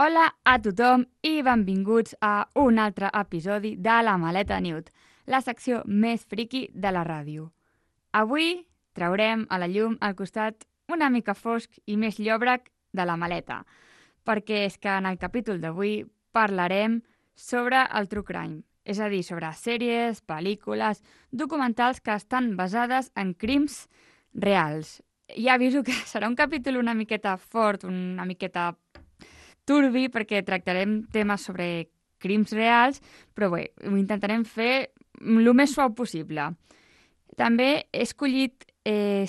Hola a tothom i benvinguts a un altre episodi de La Maleta Newt, la secció més friqui de la ràdio. Avui traurem a la llum el costat una mica fosc i més llòbrec de la maleta, perquè és que en el capítol d'avui parlarem sobre el true crime, és a dir, sobre sèries, pel·lícules, documentals que estan basades en crims reals. Ja aviso que serà un capítol una miqueta fort, una miqueta turbi, perquè tractarem temes sobre crims reals, però bé, ho intentarem fer el més suau possible. També he escollit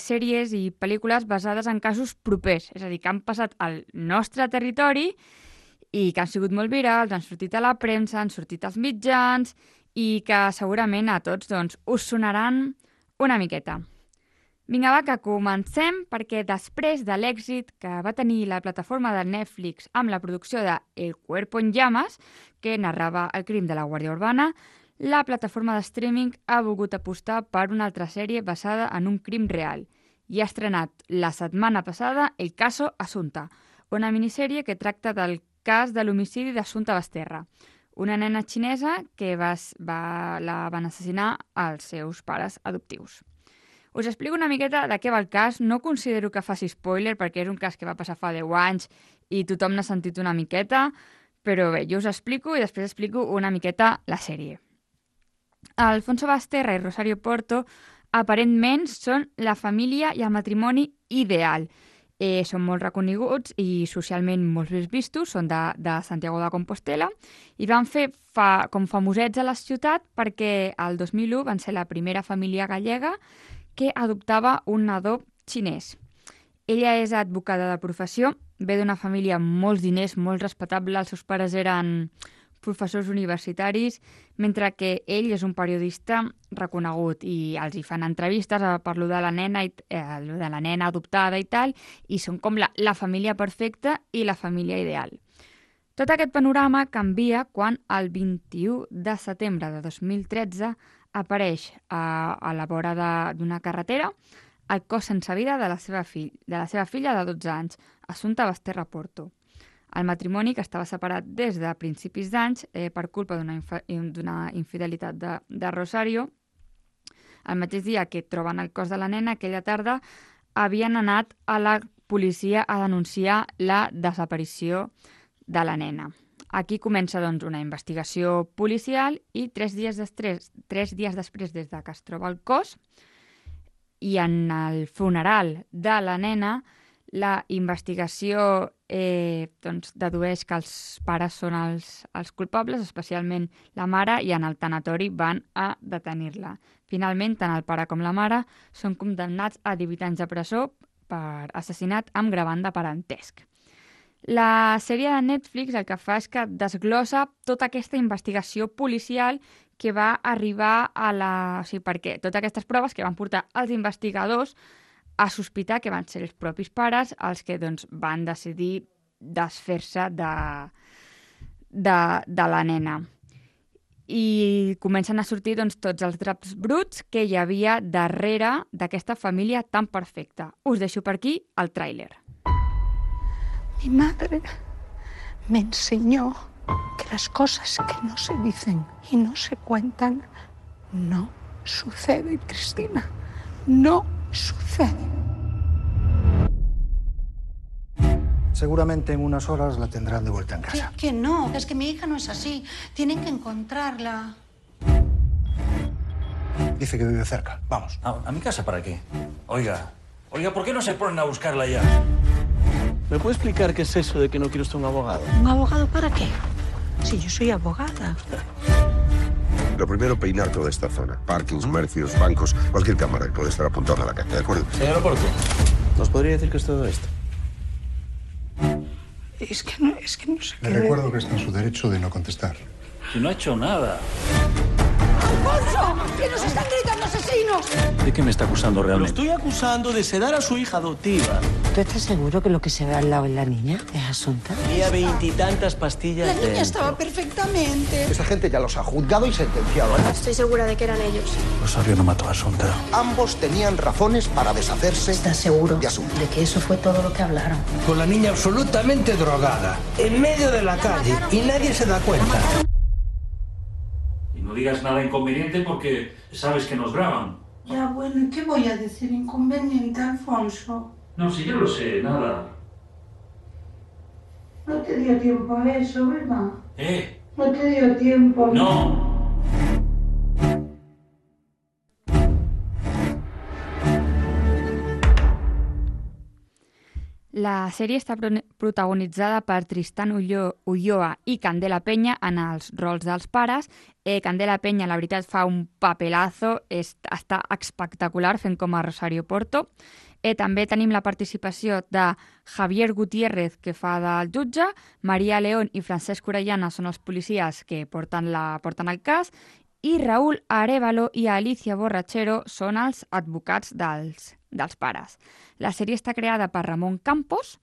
sèries i pel·lícules basades en casos propers, és a dir, que han passat al nostre territori i que han sigut molt virals, han sortit a la premsa, han sortit als mitjans i que segurament a tots us sonaran una miqueta. Vinga, va, que comencem, perquè després de l'èxit que va tenir la plataforma de Netflix amb la producció de El cuerpo en llamas, que narrava el crim de la Guàrdia Urbana, la plataforma de streaming ha volgut apostar per una altra sèrie basada en un crim real i ha estrenat la setmana passada El caso Assumpta, una minissèrie que tracta del cas de l'homicidi d'Assumpta Basterra, una nena xinesa que la van assassinar els seus pares adoptius. Us explico una miqueta de què va el cas. No considero que faci spoiler perquè és un cas que va passar fa 10 anys i tothom n'ha sentit una miqueta, però bé, jo us explico i després explico una miqueta la sèrie. Alfonso Basterra i Rosario Porto aparentment són la família i el matrimoni ideal. Són molt reconeguts i socialment molt ben vistos, són de Santiago de Compostela i van fer com famosets a la ciutat perquè el 2001 van ser la primera família gallega que adoptava un nadó xinès. Ella és advocada de professió, ve d'una família amb molts diners, molt respectable. Els seus pares eren professors universitaris, mentre que ell és un periodista reconegut i els hi fan entrevistes per lo de la nena adoptada i tal, i són com la família perfecta i la família ideal. Tot aquest panorama canvia quan el 21 de setembre de 2013 apareix a la vora d'una carretera el cos sense vida de la seva filla de 12 anys, Assumpta Basterra Porto. El matrimoni, que estava separat des de principis d'anys per culpa d'una infidelitat de Rosario, el mateix dia que troben el cos de la nena, aquella tarda, havien anat a la policia a denunciar la desaparició de la nena. Aquí comença una investigació policial i 3 dies després, des que es troba el cos, i en el funeral de la nena, la investigació dedueix que els pares són els culpables, especialment la mare, i en el tanatori van a detenir-la. Finalment, tant el pare com la mare són condemnats a 18 anys de presó per assassinat amb gravant de parentesc. La sèrie de Netflix el que fa és que desglossa tota aquesta investigació policial que va arribar perquè totes aquestes proves que van portar els investigadors a sospitar que van ser els propis pares els que van decidir desfer-se de la nena. I comencen a sortir tots els draps bruts que hi havia darrere d'aquesta família tan perfecta. Us deixo per aquí el tràiler. Mi madre me enseñó que las cosas que no se dicen y no se cuentan no suceden, Cristina. No suceden. Seguramente en unas horas la tendrán de vuelta en casa. Que no, es que mi hija no es así. Tienen que encontrarla. Dice que vive cerca. Vamos. ¿A mi casa para qué? Oiga, ¿por qué no se ponen a buscarla ya? ¿Me puede explicar qué es eso de que no quiere usted un abogado? ¿Un abogado para qué? Si yo soy abogada. Lo primero, peinar toda esta zona. Parkings, comercios, bancos, cualquier cámara que pueda estar apuntada a la calle, ¿de acuerdo? Señor Porto, ¿nos podría decir qué es todo esto? Es que no sé qué... Le recuerdo que está en su derecho de no contestar. Si no ha hecho nada. ¡Alfonso! ¡Que nos están gritando asesinos! ¿De qué me está acusando Lo realmente? estoy acusando de sedar a su hija adoptiva. ¿Tú estás seguro que lo que se ve al lado es la niña? ¿Es Asunta? Había 20 y tantas pastillas. La niña estaba perfectamente. Esa gente ya los ha juzgado y sentenciado. Estoy segura de que eran ellos. Rosario no mató a Asunta. Ambos tenían razones para deshacerse. ¿Estás seguro de Asunta. de que eso fue todo lo que hablaron? Con la niña absolutamente drogada, en medio de la calle, y nadie se da cuenta. Y no digas nada inconveniente porque sabes que nos graban. Ya, bueno, ¿y qué voy a decir inconveniente, Alfonso? No, si yo lo sé, nada. No te dio tiempo a eso, ¿verdad? No te dio tiempo. No. La sèrie està protagonitzada per Tristan Ulloa i Candela Peña en els rols dels pares. Candela Peña, la veritat, fa un papelazo, està espectacular fent com a Rosario Porto. També tenim la participació de Javier Gutiérrez, que fa del jutge, Maria León i Francesc Orellana són els policies que porten el cas, i Raúl Arévalo i Alicia Borrachero són els advocats dels pares. La sèrie està creada per Ramon Campos,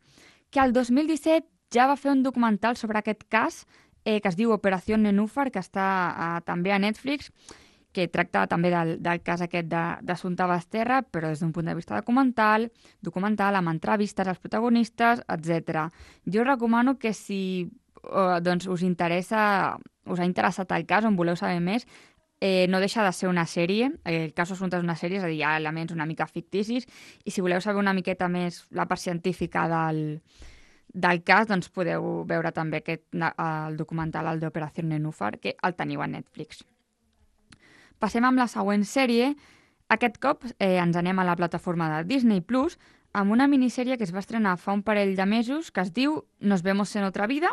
que el 2017 ja va fer un documental sobre aquest cas que es diu Operació Nenúfar, que està també a Netflix, que tracta també del cas aquest d'Assumpta Basterra, però des d'un punt de vista documental, amb entrevistes als protagonistes, etc. Jo recomano que si us ha interessat el cas o en voleu saber més, no deixa de ser una sèrie. El cas Assumpta és una sèrie, és a dir, hi ha elements una mica ficticis, i si voleu saber una miqueta més la part científica del cas, doncs podeu veure també el documental, el d'Operació Nenúfar, que el teniu a Netflix. Passem amb la següent sèrie. Aquest cop ens anem a la plataforma de Disney Plus amb una minissèrie que es va estrenar fa un parell de mesos que es diu Nos vemos en otra vida,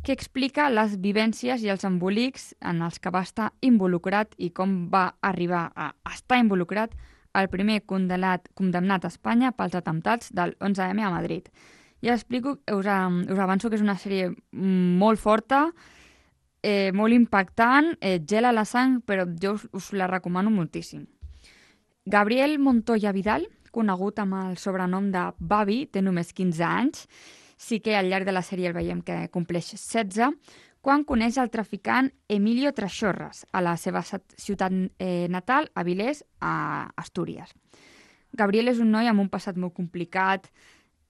que explica les vivències i els embolics en els que va estar involucrat i com va arribar a estar involucrat el primer condemnat a Espanya pels atemptats del 11M a Madrid. Ja explico, us avanço que és una sèrie molt forta, molt impactant, gela la sang, però jo us la recomano moltíssim. Gabriel Montoya Vidal, conegut amb el sobrenom de Babi, té només 15 anys. Sí que al llarg de la sèrie el veiem que compleix 16, quan coneix el traficant Emilio Traxorras a la seva ciutat natal, Avilés, a Astúries. Gabriel és un noi amb un passat molt complicat,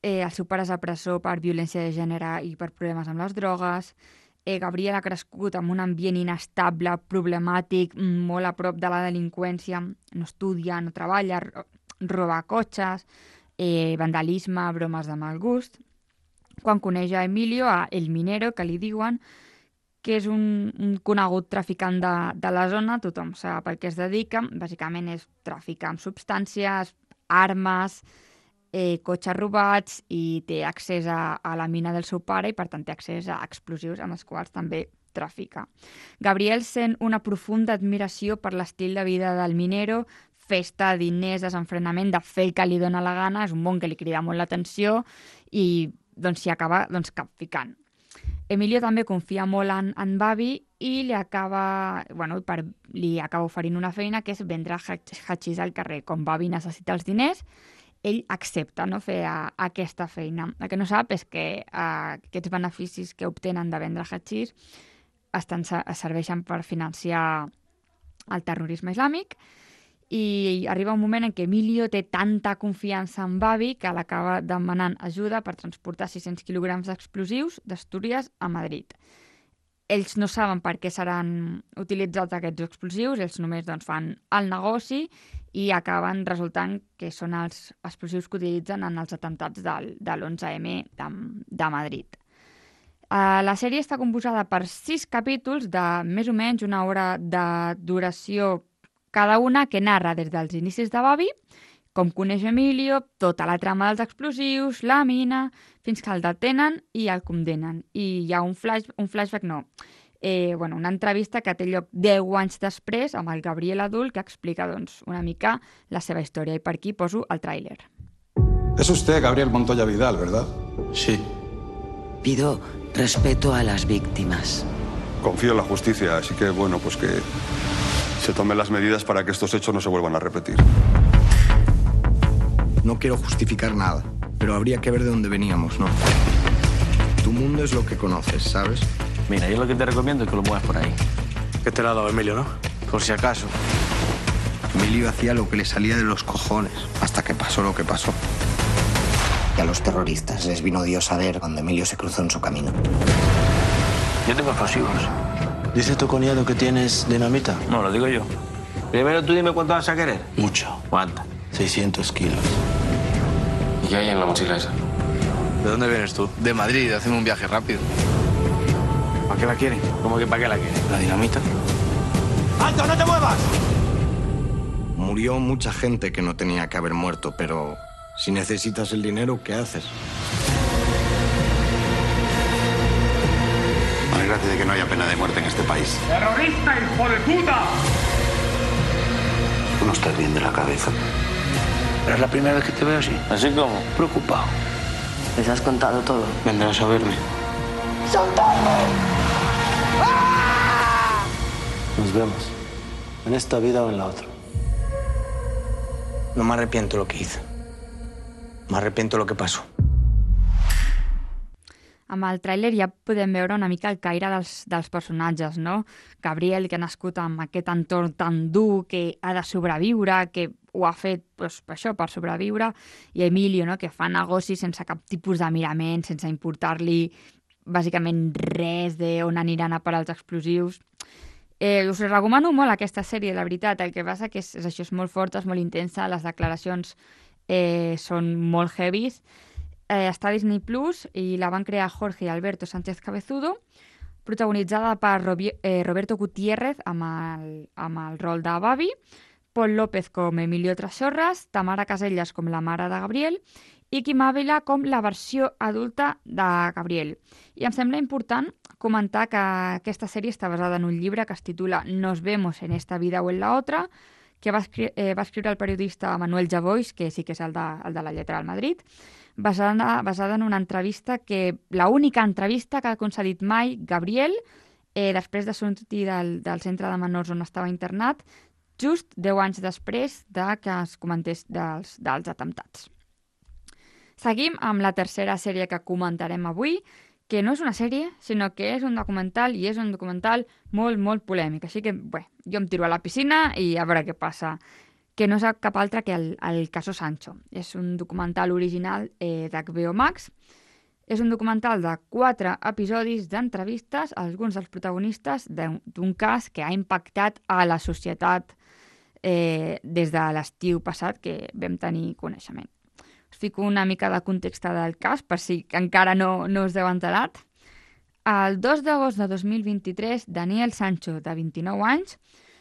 el seu pare és a presó per violència de gènere i per problemes amb les drogues. Gabriel ha crescut en un ambient inestable, problemàtic, molt a prop de la delinqüència, no estudia, no treballa, roba cotxes, vandalisme, bromes de mal gust. Quan coneix a Emilio, a El Minero, que li diuen, que és un conegut traficant de la zona, tothom sap a què es dedica, bàsicament és traficar amb substàncies, armes, cotxes robats, i té accés a la mina del seu pare i per tant té accés a explosius amb els quals també trafica. Gabriel sent una profunda admiració per l'estil de vida del Minero, festa, diners, desenfrenament, de fer el que li dóna la gana, és un món que li crida molt l'atenció i s'hi acaba capficant. Emilio també confia molt en Babi i li acaba oferint una feina que és vendre hachís al carrer. Com Babi necessita els diners, ell accepta fer aquesta feina. El que no sap és que aquests beneficis que obtenen de vendre hachís serveixen per financiar el terrorisme islàmic, i arriba un moment en què Emilio té tanta confiança en Babi que l'acaba demanant ajuda per transportar 600 quilograms d'explosius d'Astúries a Madrid. Ells no saben per què seran utilitzats aquests explosius, ells només fan el negoci i acaben resultant que són els explosius que utilitzen en els atemptats de l'11M de Madrid. La sèrie està composada per 6 capítols de més o menys una hora de duració cada una, que narra des dels inicis de Babi, com coneix Emilio, tota la trama dels explosius, la mina, fins que el detenen i el condemnen. I hi ha una entrevista que té lloc 10 anys després amb el Gabriel adult, que explica una mica la seva història. I per aquí poso el tràiler. Es usted Gabriel Montoya Vidal, ¿verdad? Sí. Pido respeto a las víctimas. Confío en la justicia, así que pues que se tomen las medidas para que estos hechos no se vuelvan a repetir. No quiero justificar nada, pero habría que ver de dónde veníamos, ¿no? Tu mundo es lo que conoces, ¿sabes? Mira, yo lo que te recomiendo es que lo muevas por ahí. Que te lo ha dado Emilio, ¿no? Por si acaso. Emilio hacía lo que le salía de los cojones, hasta que pasó lo que pasó. Y a los terroristas les vino Dios a ver cuando Emilio se cruzó en su camino. Yo tengo explosivos. ¿Dice tu cuñado que tienes dinamita? No, lo digo yo. Primero tú dime cuánto vas a querer. Mucho. ¿Cuánto? 600 kilos. ¿Y qué hay en la mochila esa? ¿De dónde vienes tú? De Madrid, hacemos un viaje rápido. ¿Para qué la quieren? ¿Cómo que para qué la quieren? ¿La dinamita? ¡Alto, no te muevas! Murió mucha gente que no tenía que haber muerto, pero si necesitas el dinero, ¿qué haces? Alégrate de que no haya pena de muerte en este país. ¡Terrorista, hijo de puta! Tú no estás bien de la cabeza. Pero es la primera vez que te veo así. ¿Así como? Preocupado. ¿Les has contado todo? Vendrás a verme. Nos vemos. En esta vida o en la otra. No me arrepiento lo que hice. Me arrepiento lo que pasó. Amb el tràiler ja podem veure una mica el caire dels personatges, no? Gabriel, que ha nascut amb aquest entorn tan dur, que ha de sobreviure, que ho ha fet doncs, això, per sobreviure, i Emilio, no? Que fa negocis sense cap tipus de mirament, sense importar-li bàsicament res d'on aniran a parar els explosius. Us recomano molt aquesta sèrie, la veritat. El que passa que és això, és molt forta, és molt intensa, les declaracions són molt heavies. Està a Disney Plus i la van crear Jorge Alberto Sánchez Cabezudo, protagonitzada per Roberto Gutiérrez amb el rol de Babi, Pol López com Emilio Trasorras, Tamara Casellas com la mare de Gabriel i Quim Ávila com la versió adulta de Gabriel. I em sembla important comentar que aquesta sèrie està basada en un llibre que es titula Nos vemos en esta vida o en la otra, que va escriure el periodista Manuel Javois, que sí que és el de la lletra del Madrid, basada en una entrevista la única entrevista que ha concedit mai Gabriel després de sortir del centre de menors on estava internat, just 10 anys després que es comentés dels atemptats. Seguim amb la tercera sèrie que comentarem avui, que no és una sèrie, sinó que és un documental, i és un documental molt, molt polèmic. Així que, bé, jo em tiro a la piscina i a veure què passa. Que no és cap altre que el Caso Sancho. És un documental original d'HBO Max. És un documental de 4 episodis d'entrevistes a alguns dels protagonistes d'un cas que ha impactat a la societat des de l'estiu passat que vam tenir coneixement. Us fico una mica de context del cas, per si encara no us heu enterat. El 2 d'agost de 2023, Daniel Sancho, de 29 anys,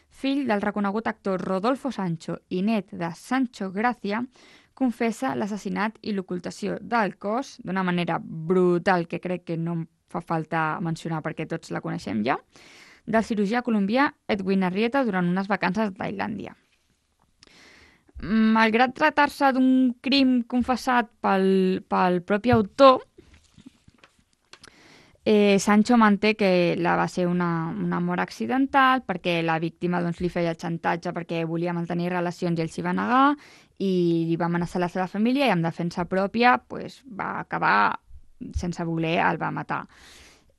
fill del reconegut actor Rodolfo Sancho i net de Sancho Gracia, confessa l'assassinat i l'ocultació del cos d'una manera brutal, que crec que no em fa falta mencionar perquè tots la coneixem ja, del cirurgià colombià Edwin Arrieta durant unes vacances a Tailàndia. Malgrat tractar-se d'un crim confessat pel propi autor, Sancho manté que va ser una mort accidental perquè la víctima li feia xantatge perquè volia mantenir relacions i ell s'hi va negar i li va amenaçar la seva família i en defensa pròpia va acabar sense voler, el va matar.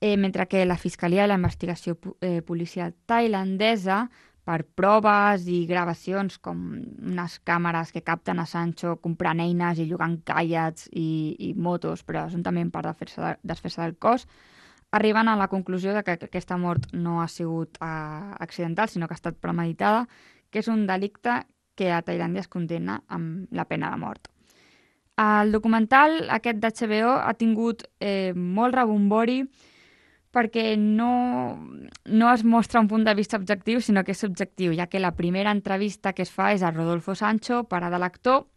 Mentre que la Fiscalia i la investigació policial tailandesa, per proves i gravacions com unes càmeres que capten a Sancho comprant eines i llogant caiets i motos, presumptament per desfer-se del cos, arriben a la conclusió de que aquesta mort no ha sigut accidental, sinó que ha estat premeditada, que és un delicte que a Tailàndia es condemna amb la pena de mort. El documental aquest d'HBO ha tingut molt rebombori perquè no es mostra un punt de vista objectiu, sinó que és subjectiu, ja que la primera entrevista que es fa és a Rodolfo Sancho, pare de l'actor.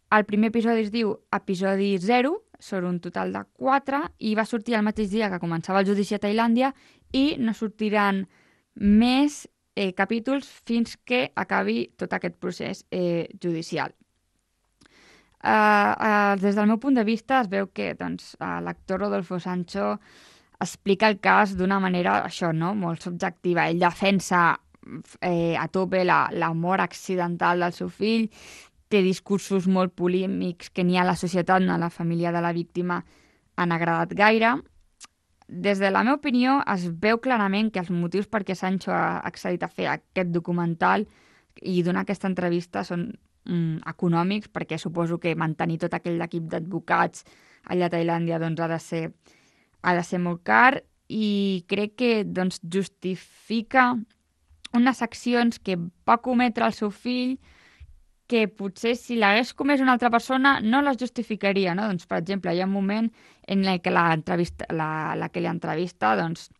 El primer episodi es diu Episodi 0, són un total de 4, i va sortir el mateix dia que començava el judici a Tailàndia i no sortiran més capítols fins que acabi tot aquest procés judicial. Des del meu punt de vista es veu que l'actor Rodolfo Sancho explica el cas d'una manera, això, no?, molt subjectiva. Ell defensa a tope la mort accidental del seu fill, té discursos molt polèmics que ni a la societat ni a la família de la víctima han agradat gaire. Des de la meva opinió, es veu clarament que els motius per què Sancho ha accedit a fer aquest documental i donar aquesta entrevista són econòmics, perquè suposo que mantenir tot aquell equip d'advocats allà a Tailàndia doncs, ha de ser molt car, i crec que doncs, justifica unes accions que va cometre el seu fill que potser si l'hagués comès una altra persona no les justificaria, no? Doncs, per exemple, hi ha un moment en què la que l'entrevista doncs,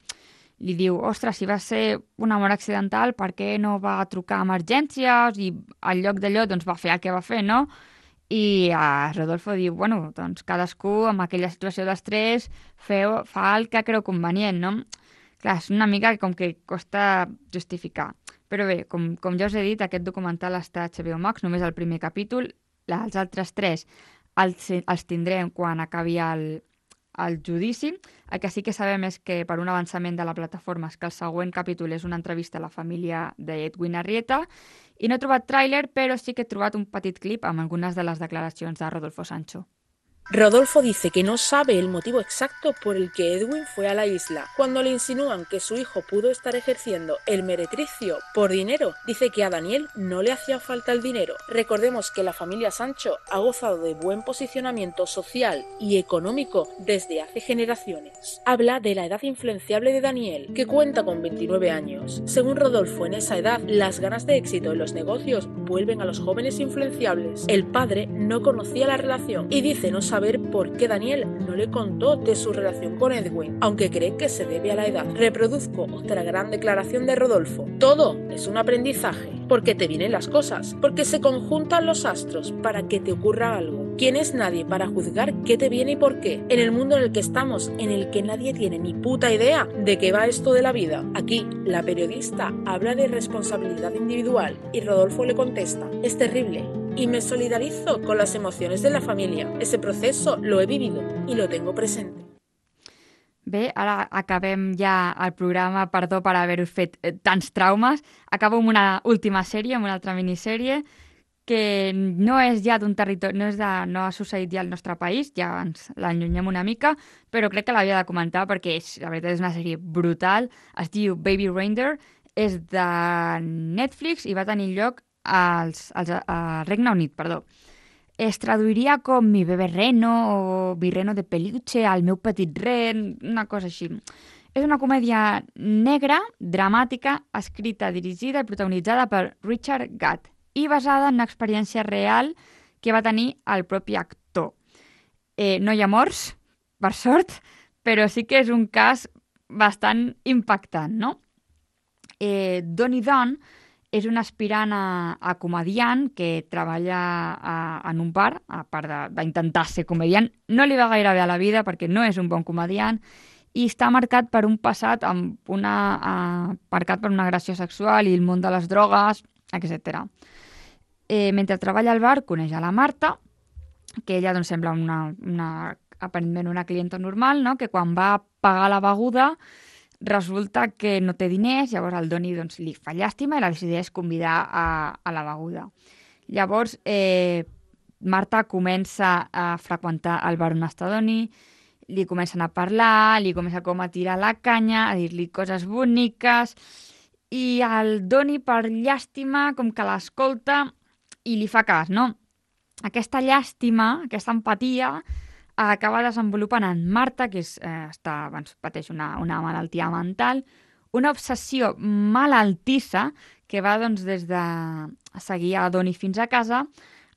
li diu, ostres, si va ser una mort accidental, per què no va trucar a emergències? I al lloc d'allò doncs, va fer el que va fer, no? I Rodolfo diu, bueno, doncs cadascú amb aquella situació d'estrès fa el que creu convenient, no? Clar, és una mica com que costa justificar. Però bé, com ja us he dit, aquest documental està a HBO Max, només el primer capítol. Els altres 3 els tindrem quan acabi el judici. El que sí que sabem és que per un avançament de la plataforma és que el següent capítol és una entrevista a la família d'Edwin Arrieta, i no he trobat tràiler, però sí que he trobat un petit clip amb algunes de les declaracions de Rodolfo Sancho. Rodolfo dice que no sabe el motivo exacto por el que Edwin fue a la isla. Cuando le insinúan que su hijo pudo estar ejerciendo el meretricio por dinero, dice que a Daniel no le hacía falta el dinero. Recordemos que la familia Sancho ha gozado de buen posicionamiento social y económico desde hace generaciones. Habla de la edad influenciable de Daniel, que cuenta con 29 años. Según Rodolfo, en esa edad, las ganas de éxito en los negocios vuelven a los jóvenes influenciables. El padre no conocía la relación y dice no saber por qué Daniel no le contó de su relación con Edwin, aunque cree que se debe a la edad. Reproduzco otra gran declaración de Rodolfo. Todo es un aprendizaje, porque te vienen las cosas, porque se conjuntan los astros para que te ocurra algo. ¿Quién es nadie para juzgar qué te viene y por qué? En el mundo en el que estamos, en el que nadie tiene ni puta idea de qué va esto de la vida. Aquí, la periodista habla de responsabilidad individual y Rodolfo le contesta, es terrible. Y me solidarizo con las emociones de la familia. Ese proceso lo he vivido y lo tengo presente. Bé, ara acabem ja el programa. Perdó per haver-us fet tants traumes. Acabo amb una última sèrie, amb una altra minissèrie, que no és ja d'un territori, no ha succeït ja al nostre país, ja ens l'allunyem una mica, però crec que l'havia de comentar perquè la veritat és una sèrie brutal. Es diu Baby Reindeer, és de Netflix i va tenir lloc al Regne Unit, perdó. Es traduiria com Mi bebé reno o Mi reno de peluche, El meu petit ren, una cosa així. És una comèdia negra, dramàtica, escrita, dirigida i protagonitzada per Richard Gatt i basada en una experiència real que va tenir el propi actor. No hi ha morts, per sort, però sí que és un cas bastant impactant, no? Donnie Dunn és un aspirant a comediant que treballa en un bar, a part d'intentar ser comediant. No li va gaire bé a la vida perquè no és un bon comediant i està marcat per un passat marcat per una agressió sexual i el món de les drogues, etc. Mentre treballa al bar coneix a la Marta, que ella doncs, sembla aparentment una clienta normal, no? Que quan va pagar la beguda resulta que no té diners, llavors el Donnie doncs, li fa llàstima i la decideix convidar a la beguda. Llavors, Marta comença a freqüentar el bar on està Donnie, li comencen a parlar, li comença com a tirar la canya, a dir-li coses boniques, i el Donnie, per llàstima, com que l'escolta i li fa cas, no? Aquesta llàstima, aquesta empatia, acaba desenvolupant en Marta, que pateix una malaltia mental, una obsessió malaltissa que va doncs, des de seguir a Donnie fins a casa,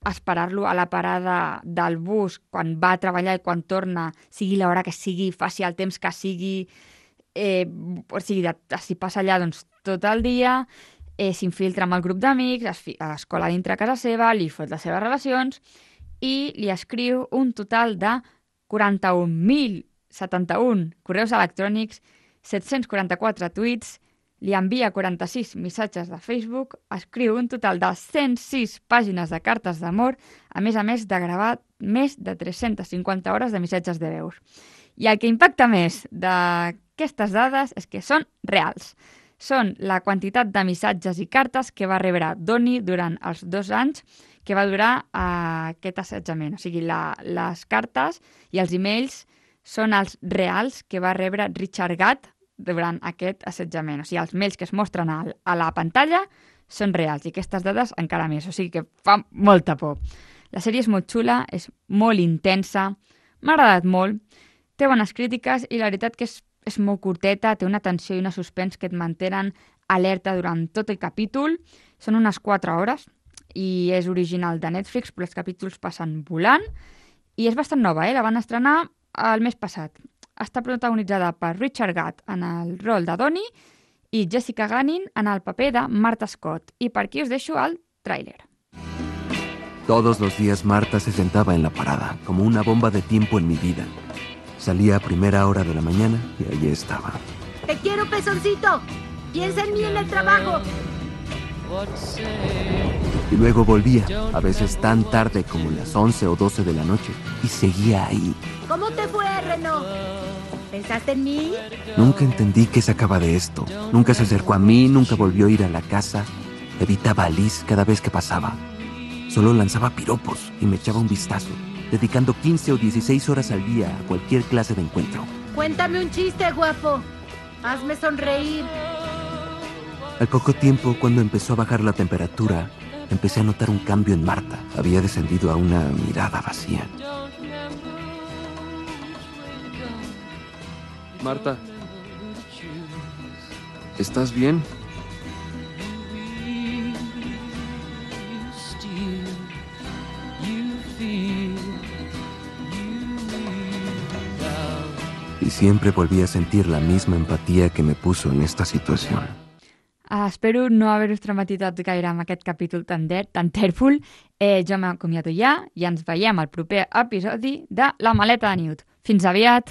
esperar-lo a la parada del bus quan va a treballar i quan torna, sigui l'hora que sigui, faci el temps que sigui, si passa allà doncs, tot el dia, s'infiltra amb el grup d'amics, es cola dintre casa seva, li fot les seves relacions i li escriu un total de 41.071 correus electrònics, 744 tuits, li envia 46 missatges de Facebook, escriu un total de 106 pàgines de cartes d'amor, a més de gravar més de 350 hores de missatges de veus. I el que impacta més d'aquestes dades és que són reals. Són la quantitat de missatges i cartes que va rebre Donnie durant els 2 anys que va durar aquest assetjament. O sigui, les cartes i els emails són els reals que va rebre Richard Gatt durant aquest assetjament. O sigui, els mails que es mostren a la pantalla són reals i aquestes dades encara més. O sigui que fa molta por. La sèrie és molt xula, és molt intensa, m'ha agradat molt, té bones crítiques i la veritat que és molt curteta, té una tensió i una suspens que et mantenen alerta durant tot el capítol. Són unes 4 hores i és original de Netflix, però els capítols passen volant i és bastant nova, la van estrenar el mes passat. Està protagonitzada per Richard Gatt en el rol de Donnie i Jessica Gunning en el paper de Martha Scott. I per aquí us deixo el tràiler. Todos los días Marta se sentaba en la parada, como una bomba de tiempo en mi vida. Salía a primera hora de la mañana y allí estaba. ¡Te quiero, pezoncito! ¡Piensa en mí en el trabajo! Y luego volvía, a veces tan tarde como las 11 o 12 de la noche, y seguía ahí. ¿Cómo te fue, Reno? ¿Pensaste en mí? Nunca entendí qué sacaba de esto. Nunca se acercó a mí, nunca volvió a ir a la casa. Evitaba a Liz cada vez que pasaba. Solo lanzaba piropos y me echaba un vistazo, dedicando 15 o 16 horas al día a cualquier clase de encuentro. Cuéntame un chiste, guapo. Hazme sonreír. Al poco tiempo, cuando empezó a bajar la temperatura, empecé a notar un cambio en Marta. Había descendido a una mirada vacía. Marta, ¿estás bien? Y siempre volví a sentir la misma empatía que me puso en esta situación. Espero no haver-us traumatitzat gaire amb aquest capítol tan tèrfol. Jo m'acomiato ja i ens veiem al proper episodi de La Maleta de Newt. Fins aviat!